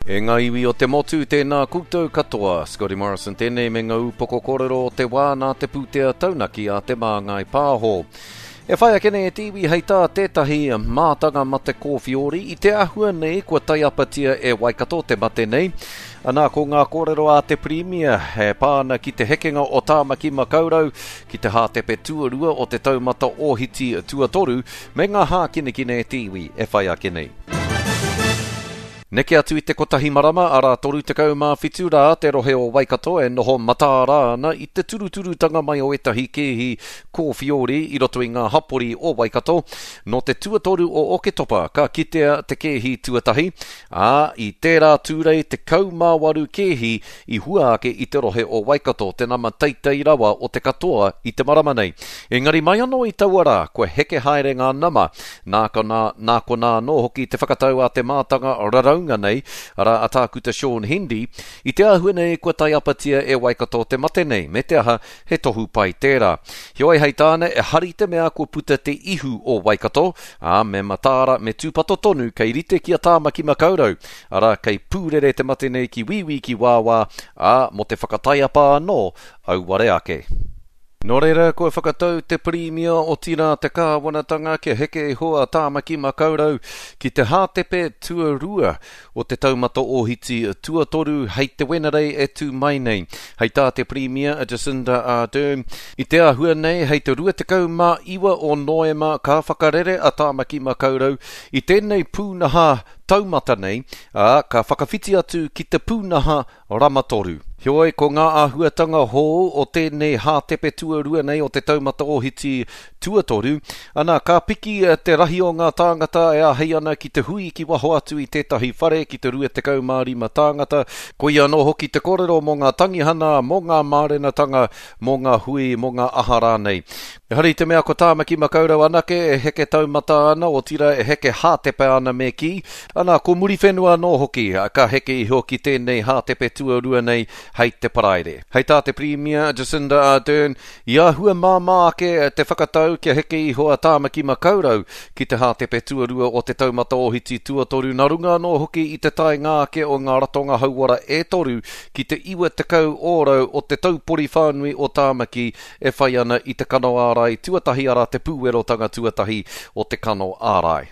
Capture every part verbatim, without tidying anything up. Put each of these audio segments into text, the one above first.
E ngā iwi o te motu, tēnā koutou katoa. Scotty Morrison tēnei me ngā upoko kōrero o te wā nā te pūtea taunaki a Te Māngai Pāho. E whai ake nei e te iwi hei tā tētahi mātanga mate kōwhiori i te ahua nei kua taiapatia e Waikato te mate nei. Anā, ko ngā kōrero a te Pirimia e pā ana ki te hekenga o Tāmaki Makaurau ki te hātepe tuarua o te taumata ōhiti tuatoru me ngā hākinakina e te iwi e whai ake nei. Neke atu i te kotahi marama, arā toru tekau mā whitu rā te rohe o Waikato e noho mataara ana i te turuturutanga mai o ētahi kēhi kōwhiori i roto i ngā hapori o Waikato. Nō te tuatoru o Oketopa ka kitea te kēhi tuatahi, ā, i tērā tūrei tekau mā waru kēhi i hua ake i te rohe o Waikato, te nama teitei rawa o te katoa i te marama nei. Engari mai anō i taua rā, kua heke haere ngā nama, nā konā, nā konā anō hoki te whakatau a te mātanga raraunga nei, arā a Tākuta Sean Hendy, i te āhua nei kua taiapatia e Waikato te mate nei, me te aha, he tohu pai tērā. Heoi hei tāna, e hari te mea kua puta te ihu o Waikato, ā, me mataara, me tūpato tonu kei rite ki a Tāmaki Makaurau, arā, kei pūrere te mate nei ki wīwī ki wāwā, ā, mō te whakataiapa anō, auware ake. Nō reira, kua whakatau te Pirimia otirā te kāwanatanga kia heke iho a Tāmaki Makaurau ki te hātepe tuarua o te taumata ōhiti tuatoru hei te Wenerei e tū mai nei. Hei tā te Pirimia a Jacinda Ardern, i te āhua nei hei te rua tekau mā iwa o Noema ka whakarere a Tāmaki Makaurau i tēnei pūnaha taumata nei, ā, ka whakawhiti atu ki te pūnaha ramatoru. Heoi, ko ngā āhuatanga hou o tēnei hātepe tuarua nei o te taumata ōhiti tuatoru, ana ka piki te rahi o ngā tāngata e āhei ana ki te hui ki waho atu i tētahi whare ki te rua tekau mā rima tāngata. Koia anō hoki te kōrero mō ngā tangihana, mō ngā mārenatanga, mō ngā hui, mō ngā aha rānei. Ehara i te mea ko Tāmaki Makaurau anake e heke taumata ana, otirā e heke hātepe ana me kī. Ana, ko Muriwhenua anō hoki, ka heke iho ki tēnei hātepe tuarua nei hei te paraire. Hei tā te Pirimia Jacinda Ardern, i āhua māmā ake te whakatau kia heke iho a Tāmaki Makaurau ki te hātepe tuarua o te taumata ōhiti tuatoru, nā runga anō hoki i te taenga ake o ngā ratonga hauora e toru ki te iwa tekau ōrau o te taupori whānui o Tāmaki e whai ana i te kano ārai tuatahi, arā te pūwerotanga tuatahi o te kano ārai.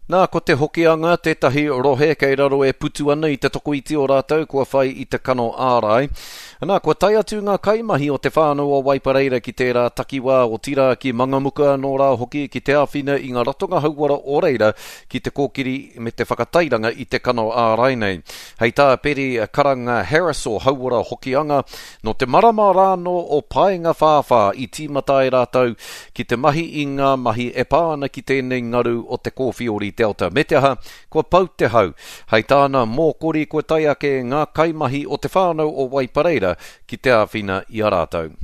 Nā, ko te Hokianga tētahi rohe kei raro e putu ana i te tokoiti o rātou kua whai i te kano ārai. Nā, kua tae atu ngā kaimahi o te whānau o Waipareira ki tērā takiwā o Tira ki Mangamuka anō rā hoki ki te āwhina i ngā ratonga hauora o reira ki te kōkiri me te whakatairanga i te kano ārai nei. Hei tā Peri Karanga Harris o Hauora Hokianga, nō te marama rānō o Paenga Whāwhā i tīmata ai rātou ki te mahi i ngā mahi e pā ana ki tēnei ngaru o te kōwhiori Delta. Me te aha, kua pau te hau. Hei tāna mōkori kua tae ake ngā kaimahi o te whānau o Waipareira ki te āwhina i a rātou.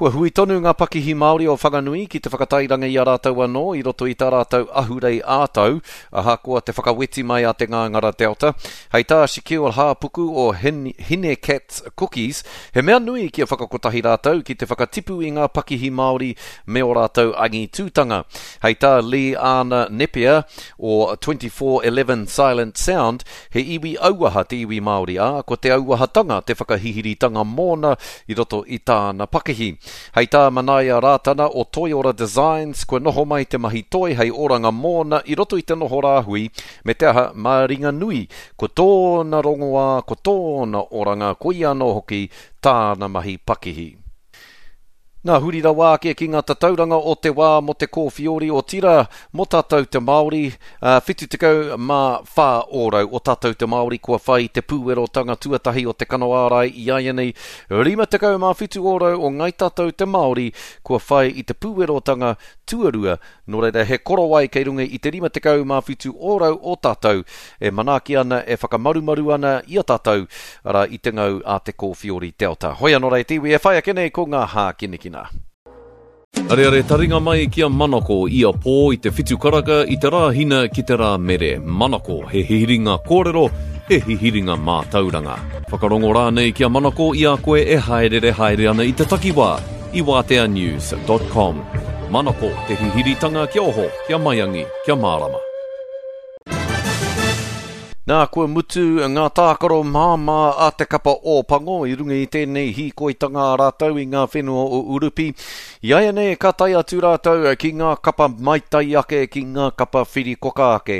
Kua hui tonu ngā pakihi Māori o Whanganui ki te whakatairanga i a rātou anō i roto i tā rātou ahurei ā-tau, ahakoa te whakaweti mai a te ngāngara Delta. Hei tā Shaquille Hāpuku o Hine Cats Cookies, he mea nui kia whakakotahi rātou ki te whakatipu i ngā pakihi Māori me o rātou angitūtanga. Hei tā Lee Anna Nepia o twenty-four eleven Silent Sound, he iwi auaha te iwi Māori, ā, ko te auahatanga te whakahihiritanga mōna i roto i tāna pakihi. Hei tā Manaia Rātana o Toiora Designs, kua noho mai te mahi toi hei oranga mōna i roto i te noho rāhui, me te aha mā ringa nui, ko tōna rongoā, ko tōna oranga, ko ia anō hoki tāna mahi pakihi. Nā huri rawa ake ki ngā tatauranga o te wā mō te kōwhiori o tira mō tātou te Māori, uh, whitu tekau mā whā ōrau o tātou te Māori kua whai te pūwerotanga tuatahi o te kano ārai i āianei, rima tekau mā whitu ōrau o ngai tātou te Māori kua whai i te pūwerotanga tuarua, nō reira he korowai kei runga i te rima tekau mā whitu ōrau o tātou e manaaki ana e whakamarumaru ana i a tātou, arā i te ngau a te kōwhiori Delta. Hoi anō rei te iwi e whai ake nei ko ngā hākinakina. Areare taringa mai ki a Manako i a pō i te whitu karaka i te rāhina ki te rā mere. Manako, he hihiringa kōrero, he hihiringa mātauranga. Whakarongo rānei ki a Manako i a koe e haerere haere ana i te takiwā i wātea news dot com. Manako, te hihiritanga kia oho, kia maiangi, kia mārama. Nā, kua mutu ngā tākaro māmā a te kapa Ōpango i runga i tēnei hīkoitanga a rātou i ngā whenua o Urupi. Iaianei ka tae atu rātou ki ngā kapa maitai ake, ki ngā kapa whirikoka ake.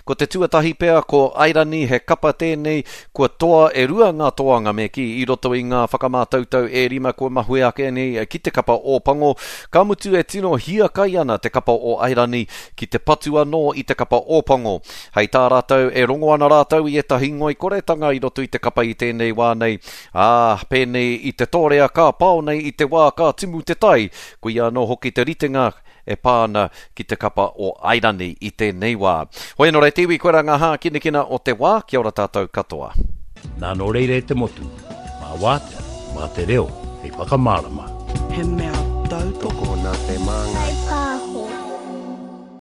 Ko te tuatahi pea ko Airani, he kapa tēnei kua toa e rua ngā toanga me kī i roto i ngā whakamātautau e rima kua mahue ake nei ki te kapa Ōpango. Ka mutu e tino hiakai ana te kapa o Airani ki te patu anō i te kapa Ōpango. Hei tā rātou e rongo ana rātou i ētahi ngoikoretanga i roto i te kapa i tēnei wā nei. Ā, pēnei i te tōrea ka pao nei i te wā ka timu te tai, koia anō hoki te ritenga e pā ana ki te kapa o Airani i tēnei wā. Hoi anō rā te iwi, koirā ngā hākinakina o te wā, kia ora tātou katoa. Nā nō reira e te motu, mā Wātea, mā te reo, hei whakamārama. He mea tautoko Tokona te māngai.